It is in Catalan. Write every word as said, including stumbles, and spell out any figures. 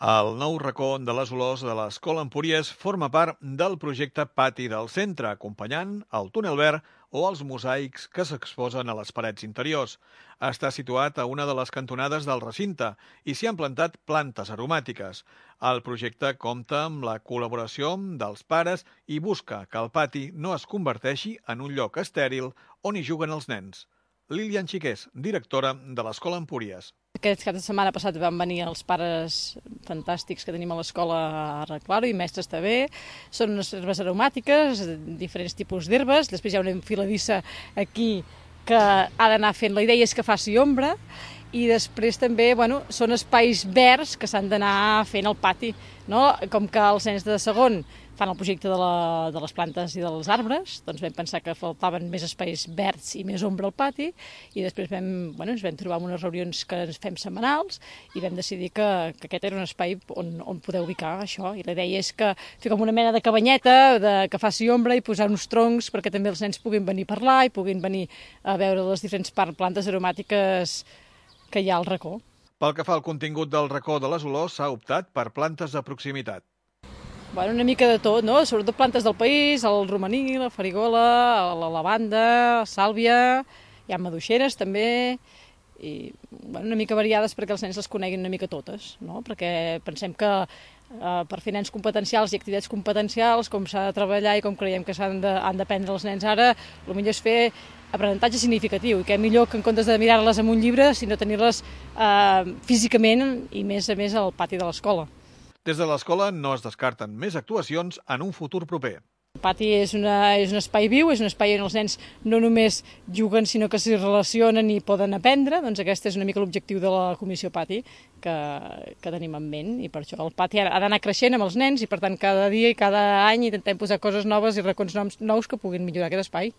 El nou racó de les olors de l'Escola Empúries forma part del projecte Pati del Centre, acompanyant el túnel verd o els mosaics que s'exposen a les parets interiors. Està situat a una de les cantonades del recinte i s'hi han plantat plantes aromàtiques. El projecte compta amb la col·laboració dels pares i busca que el pati no es converteixi en un lloc estèril on hi juguen els nens. Lilian Xiqués, directora de l'Escola Empúries. Aquest cap de setmana passat van venir els pares fantàstics que tenim a l'escola a arreglar-ho i mestres també. Són unes herbes aromàtiques, diferents tipus d'herbes. Després hi ha una enfiladissa aquí que ha d'anar fent. La idea és que faci ombra i després també bueno, són espais verds que s'han d'anar fent al pati. No? Com que els nens de segon fan el projecte de, la, de les plantes i dels arbres, doncs vam pensar que faltaven més espais verds i més ombra al pati i després vam, bueno, ens vam trobar en unes reunions que ens fem setmanals i vam decidir que, que aquest era un espai on, on poder ubicar això i la idea és que fer com una mena de cabanyeta de, que faci ombra i posar uns troncs perquè també els nens puguin venir a parlar i puguin venir a veure les diferents plantes aromàtiques que hi ha al racó. Pel que fa al contingut del racó de les olors, s'ha optat per plantes de proximitat. Bueno, una mica de tot, no? Sobretot plantes del país, el romaní, la farigola, la lavanda, la sàlvia, hi ha maduixeres també, i bueno, una mica variades perquè els nens les coneguin una mica totes, no? Perquè pensem que eh, per fer nens competencials i activitats competencials, com s'ha de treballar i com creiem que s'han de, han d'aprendre els nens ara, el millor és fer aprenentatge significatiu, i què millor que en comptes de mirar-les en un llibre, sinó tenir-les eh, físicament i més a més al pati de l'escola. Des de l'escola no es descarten més actuacions en un futur proper. El pati és, una, és un espai viu, és un espai on els nens no només juguen, sinó que s'hi relacionen i poden aprendre. Doncs aquest és una mica l'objectiu de la Comissió Pati que, que tenim en ment. I per això el pati ha d'anar creixent amb els nens i, per tant, cada dia i cada any intentem posar coses noves i racons nous que puguin millorar aquest espai.